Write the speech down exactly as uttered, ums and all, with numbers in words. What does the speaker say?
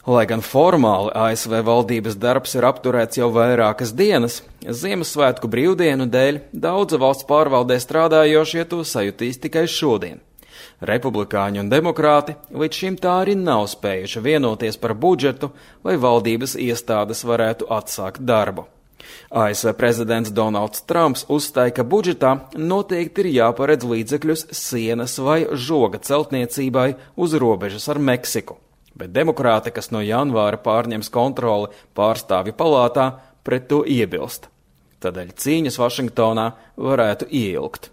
Lai gan formāli A S V valdības darbs ir apturēts jau vairākas dienas, Ziemassvētku brīvdienu dēļ daudzi valsts pārvaldē strādājošie to sajutīs tikai šodien. Republikāņi un demokrāti līdz šim tā arī nav spējuši vienoties par budžetu, lai valdības iestādes varētu atsākt darbu. A S V prezidents Donalds Trumps uzstāja, ka budžetā noteikti ir jāparedz līdzekļus sienas vai žoga celtniecībai uz robežas ar Meksiku. Bet demokrāti, kas no janvāra pārņems kontroli pārstāvju palātā, pret to iebilst. Tādēļ cīņas Vašingtonā varētu ieilgt.